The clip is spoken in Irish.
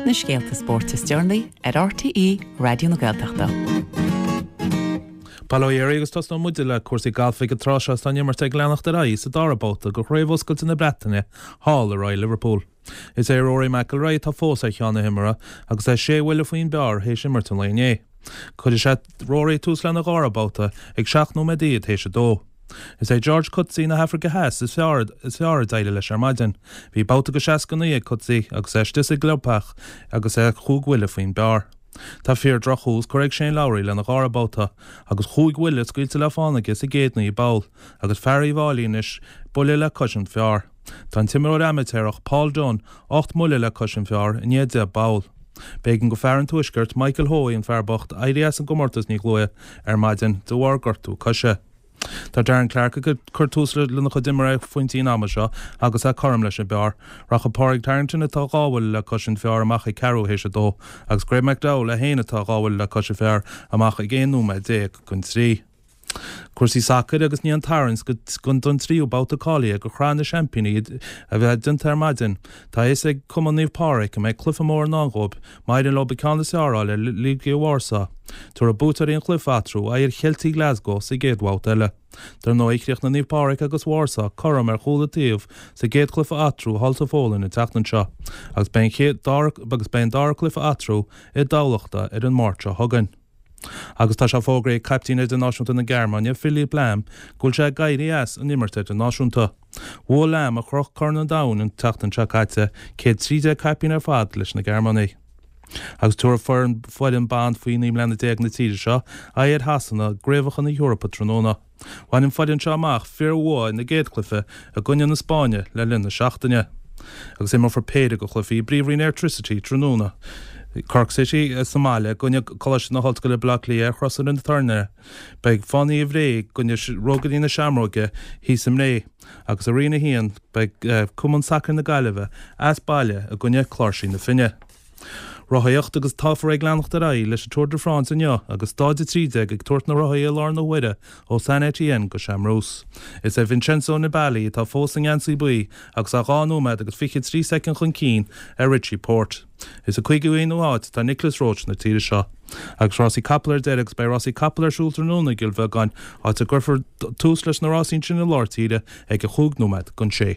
Na scéalta spóirt is deireanaí ar RTÉ Raidió na Gaeltachta. Bail ó Dhia oraibh agus tosnóidh muide le cúrsaí gailf ag an tráth seo is tá an imirt ag leanacht ar aghaidh sa dara babhta de Chraobh Oscailte na Breataine thall i Royal Liverpool. Is é Rory McIlroy atá fós ar cheann na himeartha agus é sé bhuille faoin bpar théis imirt an lae inné. Cuirfidh sé Rory tús lena dhara babhta ag 17 nóiméad théis a dó. Is é George Coetzee na hAfraice Theas is fearr is fearr a d'éirigh leis ar maidin. Bhí babhta de 69 ag Coetzee agus é istigh sa gclubtheach agus é chúig bhuille faoin bpar. Tá fíor-drochthús curtha ag Shane Lowry lena dhara babhta agus chúig bhuille scaoilte le fána aige sa gcéad 9 bpoll agus fear Uíbh Fhailí anois buille le cois an phar. Tá an t-imreoir amaitéarach Paul Dunne 8 mbuille le cois an phar i ndiaidh 10 bpoll. B'éigean go fear an Tuaiscirt, Michael Hoey, an fear bocht, éirí as an gcomórtas níos luaithe ar maidin de bharr gortú coise. Tá Darren Clarke ag cur tús lena chuid imeartha ag pointí an ama seo agus é cothrom leis an bpar. Rachaidh Pádraig Harrington atá dhá bhuille le cois an phar amach ag ceathrú théis a dó agus Graeme McDowell é féin atá dhá bhuille le cois an phar amach ag 11 nóiméad don trí. Cúrsaí sacair agus i ndiaidh an tarraingt don tríú babhta cáilithe do Shraith na Seaimpíní a bheith déanta ar maidin, tá a fhios ag Cumann Naomh Pádraig go mbeidh cluiche mór i ndán dhóibh má éiríonn leo an ceann is fearr a fháil ar Legia Warsaw. Tabharfaidh buaiteoirí an chluiche eatarthu aghaidh ar Cheiltigh Glasgow sa gcéad bhabhta eile. Dar ndóigh, chríochnaigh Naomh Pádraig agus Warsaw cothrom ar chúl an taobh sa gcéad chluiche eatarthu thall sa Pholainn an tseachtain seo agus beidh an dara cluiche eatarthu i dTamhlachta ar an Máirt seo chugainn. Agus tá sé fógraithe ag caiptín idirnáisiúnta na Gearmáine, Philipp Lahm, go bhfuil sé ag éirí as an imirt idirnáisiúnta. Bhuaigh Lahm, a chroch Corn an Domhain an tseachtain seo caite, 113 caipín ar fad leis na Gearmánaigh. Agus tabharfaidh foireann ban faoi 19 mbliana na tíre seo aghaidh ar Shasana i gCraobhacha na hEorpa tráthnóna. Bhain an foireann seo amach fíor-bhua ina gcéad chluiche i gcoinne na Spáinne le linn na seachtaine. Agus imreofar péire de chluichí i bPríomhroinn Airtricity tráthnóna. Cork City sa mbaile i gcoinne Coláiste na hOllscoile Baile Átha Cliath ar Chrosaire na Toirne. Beidh Fánaithe Bhré i gcoinne Rógairí na Seamróige thíos i mBré. Agus i Roinn 1 beidh Cumann Sacair na Gaillimhe as baile i gcoinne Cláirsigh na Finne. Rothaíocht agus táthar ag leanacht ar aghaidh leis an Tour de France inniu agus stáid 13 ag tabhairt na rothaí i lár na huaire ó Saint-Étienne go Chamrousse. Is é Vincenzo Nibali atá fós sa ngeansaí buí agus é 2 nóiméad agus 23 soicind chun cinn ar Richie Porte. Is sa 51ú háit atá Nicolas Roche na tíre seo. Agus rásaí capall ar deireadh agus beidh rásaí capall ar siúl tráthnóna i gCill Bheagáin, áit a gcuirfear tús leis na rásaí ansin i lár tíre ag a chúig nóiméad don sé.